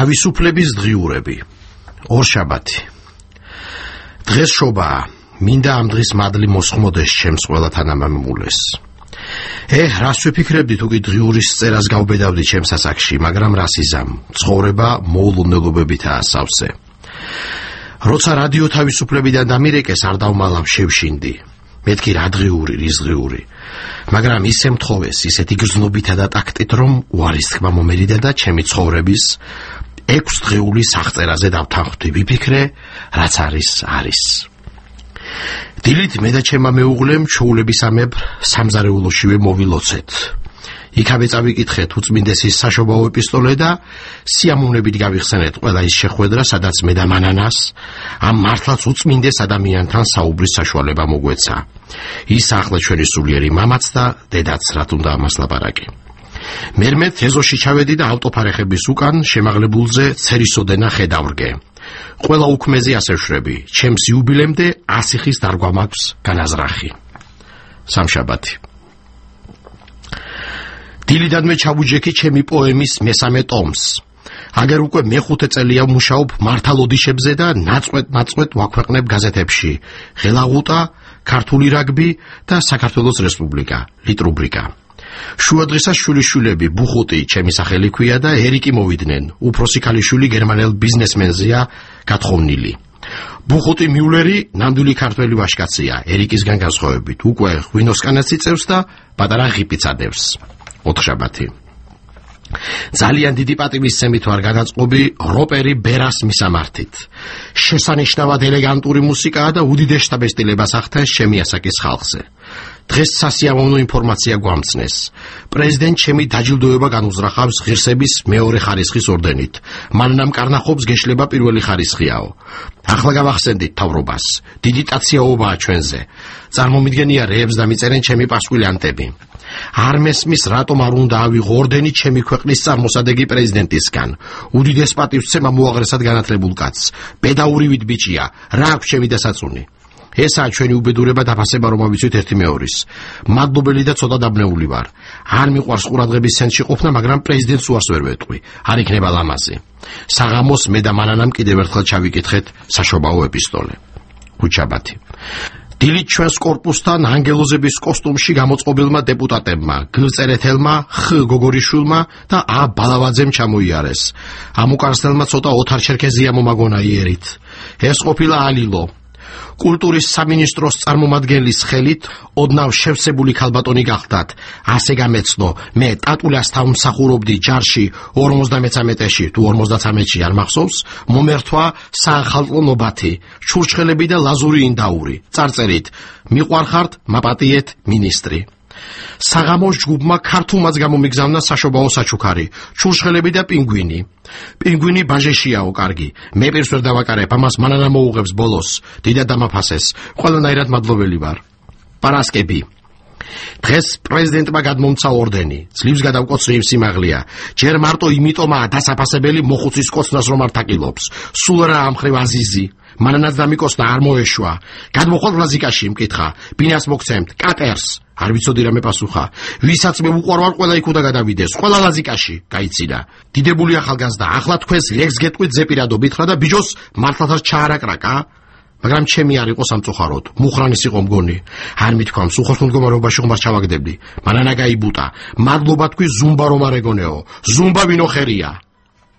თავისუფლების დღიურები. ორშაბათი. დღეს შობაა. მინდა ამ დღის მადლი მოსხმოდეს ჩემს ყველა თანამემულეს. რას ვიფიქრებდი თუ კი დღიურის წერას გავბედავდი ჩემს ასაკში, მაგრამ რას იზამ, ცხოვრება მოულოდნელობებითაა სავსე. როცა რადიო თავისუფლებიდან დამირეკეს, არ დავმალავ შევშინდი. მეთქი რა დღიური, რის დღიური. მაგრამ ისე მთხოვეს, ისეთი გრძნობითა და ტაქტით, რომ უარის თქმა მომერიდა და ჩემი ცხოვრების 6 დღეული სახწერაზე დავთანხმდი, ვიფიქრე, რაც არის. დილით მე და ჩემმა მეუღლემ ჩოულებისამებრ სამზარეულოშივე მოვილოცეთ. იქავე წავიკითხეთ უწმინდესის საშობაო ეპისტოლე და სიამოვნებით გავიხსენეთ ყველა ის შეხვედრა, სადაც მე და მანანას ამ მართლაც უწმინდეს ადამიანთან საუბრის საშუალება მოგვეცა. ის ახლა ჩვენი სულიერი მამაც და დედაც, რა თუნდა ამას ლაპარაკი. მერმე თეზოში ჩავედი და ავტოფარეხების უკან შემაღლებულზე ცერისოდენა ხედავრგე. ყველა უქმეზე ასე ვშრები, ჩემს იუბილემდე 100 ხის დარგვა მაქვს განაზრახი. სამშაბათი. დილიდანვე ჩავუჯექი ჩემი პოემის მესამე ტომს. აგერ უკვე მე-5 წელია ვმუშაობ მართალოდიშებზე და ნაწყვეტ ვაქვეყნებ გაზეთებში ღელაღუტა, ქართული რაგბი და საქართველოს რესპუბლიკა, ლიტრუბრიკა. შუადღისას შვილიშვილები ბუხუტი ჩემი სახელი ქვია და ერიკი მოვიდნენ. უფროსი ქალიშვილი გერმანელ ბიზნესმენზეა გათხოვნილი. ბუხუტი მიულერი ნამდვილი ქართველი ვაჟკაცია, ერიკისგან განსხვავებით. უკვე ღვინოსკანაც იწევს და პატარა ღიპიც ადევს. ოთხშაბათი. ძალიან დიდი პატივისცემით ვარ განაწყობი როპერი ბერას მისამართით. შესანიშნავად ელეგანტური მუსიკაა და უდიდეს შთაბეჭდილებას ახდენს ჩემი ასაკის ხალხზე. დღეს სასიამოვნო ინფორმაცია გვამცნეს. პრეზიდენტ ჩემი დაჯილდოება განუზრახავს ღირსების მეორე ხარისხის ორდენით. მანამ კარნახობს გეშლება პირველი ხარისხიაო. ახლა გავახსენდით თავრობას. დიდი ტაციაობაა ჩვენზე. წარმომიდგენია რეებს დამიწერენ ჩემი პასკვილიანტები. არ მესმის რატომ არ უნდა ავიღო ორდენი ჩემი ქვეყნის წარმოსადეგი პრეზიდენტისგან. უდიდეს პატივსცემა მოაღრესად განათლებულ კაცს. პედაურივით ბიჭია, რა აქვს ჩემი დასაწუნი. ესაა ჩვენი უბედურება დაფასება რომ ავიცვით ერთი მეორის. მადლობელი და ცოტა დაბნეული ვარ. არ მიყვარს ყურადღების ცენტრში ყოფნა, მაგრამ პრეზიდენტს უარს ვერ ვეტყვი. არ იქნება ლამაზი. საღამოს მე და მანანამ კიდევ ერთხელ ჩავიკითხეთ საშობაო ეპისტოლე. ქუჩაბათი. დილით ჩვენს კორპუსთან ანგელოზების კოსტუმში გამოწყობილმა დეპუტატებმა, გლწერეთელმა, გოგორიშვილმა და ბალავაძემ ჩამოიარეს. ამ უკანასკნელმა ცოტა ოთარ-ჩერქეზია მომაგონა იერით. ეს ყოფილა ალილო. კულტურის სამინისტროს წარმომადგენლის ხელით ოდნავ შევსებული ქალბატონი გახდათ. ასე გამეცნო, მე ტატულასთან მსახურობდი ჯარში 53-ში, თუ 53-ში არ მახსოვს, მომერთვა საახალწლო ნობათი, ჩურჩხელები და ლაზური ინდაური. წარწერით, მიყვარხართ, მაპატიეთ, მინისტრი. საღამოს ჯგუფმა ქართულმაც გამომიგზავნა საშობაო საჩუქარი, ჩურჩხელები და პინგვინი. პინგვინი ბაჟეშიაო, კარგი. მე პირს ვერ დავაკარებ, ამას მანანა მოუღებს ბოლოს. დიდად დამაფასეს. ყველანაირად მადლობელი ვარ. პარასკები. დღეს პრეზიდენტმა გადმომცა ორდენი. ძლივს გადავკოცრი იმ სიმაღლეა. ჯერ მარტო იმიტომაა დასაფასებელი მოხუცის კოცნას რომ არ თაკილობს. სულ რა ამხრივ აზიზი. მანანაც დამიკოსნა არ მოეშვა. გადმოხვალ ლაზიკაში მკითხა. ბინას მოგცემთ, კატერს. არ ვიცოდი რა მეპასუხა. ვისაც მე უყვარვარ, ყველა იქ უნდა გადავიდეს. ყველა ლაზიკაში, გაიცინა. დიდებული ახალგაზრდა, ახლა თქვენს ლეგს გეტყვით ზეპირადობით ხარ და ბიჯოს მართლაც ჩაარაკრაკა. მაგრამ ჩემი არ იყო სამწუხაროდ. მუხრანის იყო მგონი. არ მithქვამს, უხოშ მდგომარეობაში ხომას ჩავაგდებდი. მანანა გაიბუტა. მადლობა თქვი ზუმბა რომ არ ეგონეო. ზუმბა ვინო ხერია.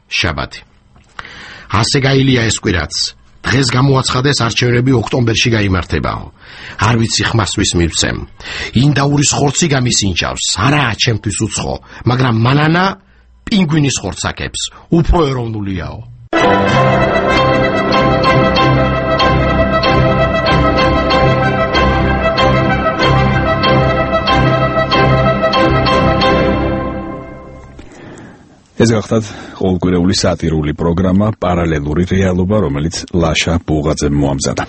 შაბათი. ასე გაილია ეს კვირაც. დღეს გამოაცხადეს არჩევნები ოქტომბერში გაიმართებაო. არ ვიცი ხმას ვის მივცემ. ინდაურის ხორცი გამისინჯავს. არაა ჩემთვის უცხო, მაგრამ მანანა პინგვინის ხორცს აკებს. უფრო ეროვნულიაო. ეს გახლავთ ყოველკვირეული სატირული პროგრამა პარალელური რეალობა, რომელიც ლაშა ბუღაძემ მოამზადა.